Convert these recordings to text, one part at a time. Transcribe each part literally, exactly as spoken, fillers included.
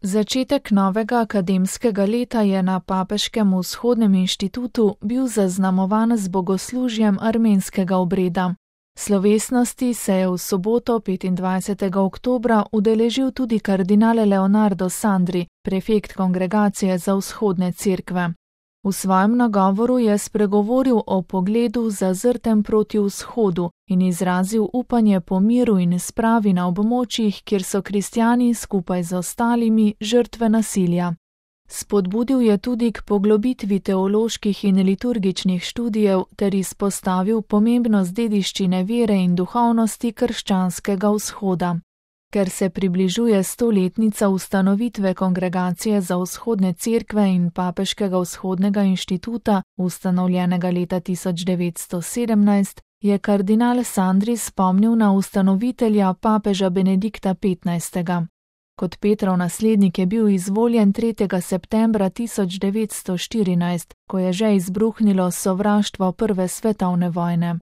Začetek novega akademskega leta je na Papeškem vzhodnem inštitutu bil zaznamovan z bogoslužjem armenskega obreda. Slovesnosti se je v soboto petindvajsetega oktobra udeležil tudi kardinal Leonardo Sandri, prefekt Kongregacije za vzhodne cerkve. V svojem nagovoru je spregovoril o pogledu zazrtem proti vzhodu in izrazil upanje po miru in spravi na območjih, kjer so kristjani skupaj z ostalimi žrtve nasilja. Spodbudil je tudi k poglobitvi teoloških in liturgičnih študijev ter izpostavil pomembnost dediščine vere in duhovnosti krščanskega vzhoda. Ker se približuje stoletnica ustanovitve Kongregacije za vzhodne cerkve in Papeškega vzhodnega inštituta, ustanovljenega leta tisoč devetsto sedemnajst, je kardinal Sandri spomnil na ustanovitelja papeža Benedikta petnajstega. Kot Petrov naslednik je bil izvoljen tretjega septembra tisoč devetsto štirinajst, ko je že izbruhnilo sovraštvo prve svetovne vojne.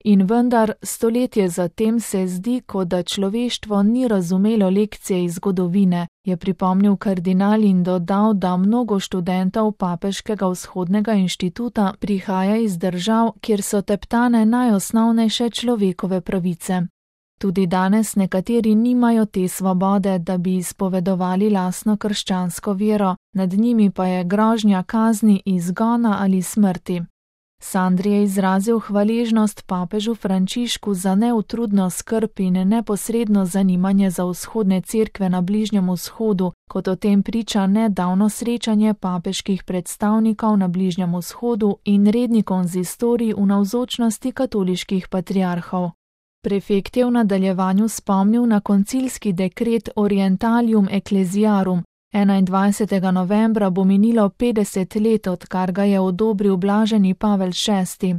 In vendar, stoletje zatem se zdi, kot da človeštvo ni razumelo lekcije iz zgodovine, je pripomnil kardinal in dodal, da mnogo študentov Papeškega vzhodnega inštituta prihaja iz držav, kjer so teptane najosnovnejše človekove pravice. Tudi danes nekateri nimajo te svobode, da bi izpovedovali lastno krščansko vero, nad njimi pa je grožnja kazni, izgona ali smrti. Sandri je izrazil hvaležnost papežu Frančišku za neutrudno skrb in neposredno zanimanje za vzhodne cerkve na Bližnjem vzhodu, kot o tem priča nedavno srečanje papeških predstavnikov na Bližnjem vzhodu in redni konzistorij v navzočnosti katoliških patriarhov. Prefekt je v nadaljevanju spomnil na koncilski dekret Orientalium Ecclesiarum. enaindvajsetega novembra bo minilo petdeset let, odkar ga je odobril blaženi Pavel šesti.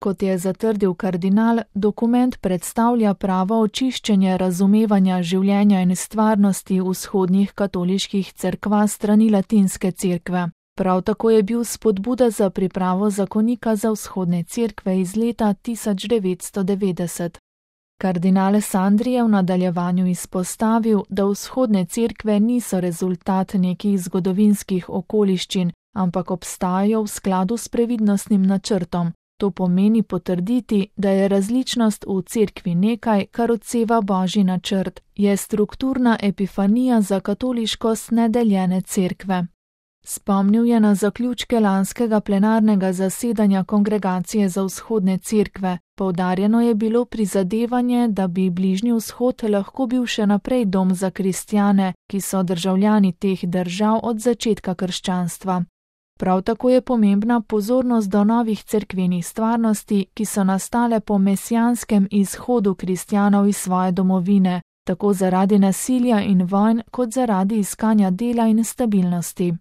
Kot je zatrdil kardinal, dokument predstavlja pravo očiščenje razumevanja življenja in stvarnosti vzhodnih katoliških cerkva strani latinske cerkve. Prav tako je bil spodbuda za pripravo zakonika za vzhodne cerkve iz leta tisoč devetsto devetdeset. Kardinal Sandri je v nadaljevanju izpostavil, da vzhodne cerkve niso rezultat nekih zgodovinskih okoliščin, ampak obstajajo v skladu s previdnostnim načrtom. To pomeni potrditi, da je različnost v cerkvi nekaj, kar odseva božji načrt, je strukturna epifanija za katoliškost nedeljene cerkve. Spomnil je na zaključke lanskega plenarnega zasedanja Kongregacije za vzhodne cerkve. Poudarjeno je bilo prizadevanje, da bi Bližnji vzhod lahko bil še naprej dom za kristjane, ki so državljani teh držav od začetka krščanstva. Prav tako je pomembna pozornost do novih cerkvenih stvarnosti, ki so nastale po mesijanskem izhodu kristjanov iz svoje domovine, tako zaradi nasilja in vojn, kot zaradi iskanja dela in stabilnosti.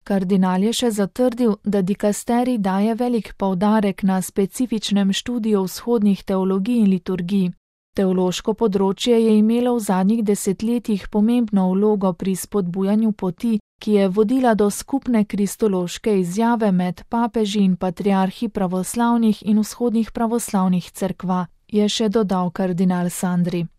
Kardinal je še zatrdil, da dikasterij daje velik poudarek na specifičnem študiju vzhodnih teologij in liturgij. Teološko področje je imelo v zadnjih desetletjih pomembno vlogo pri spodbujanju poti, ki je vodila do skupne kristološke izjave med papeži in patriarhi pravoslavnih in vzhodnih pravoslavnih cerkva, je še dodal kardinal Sandri.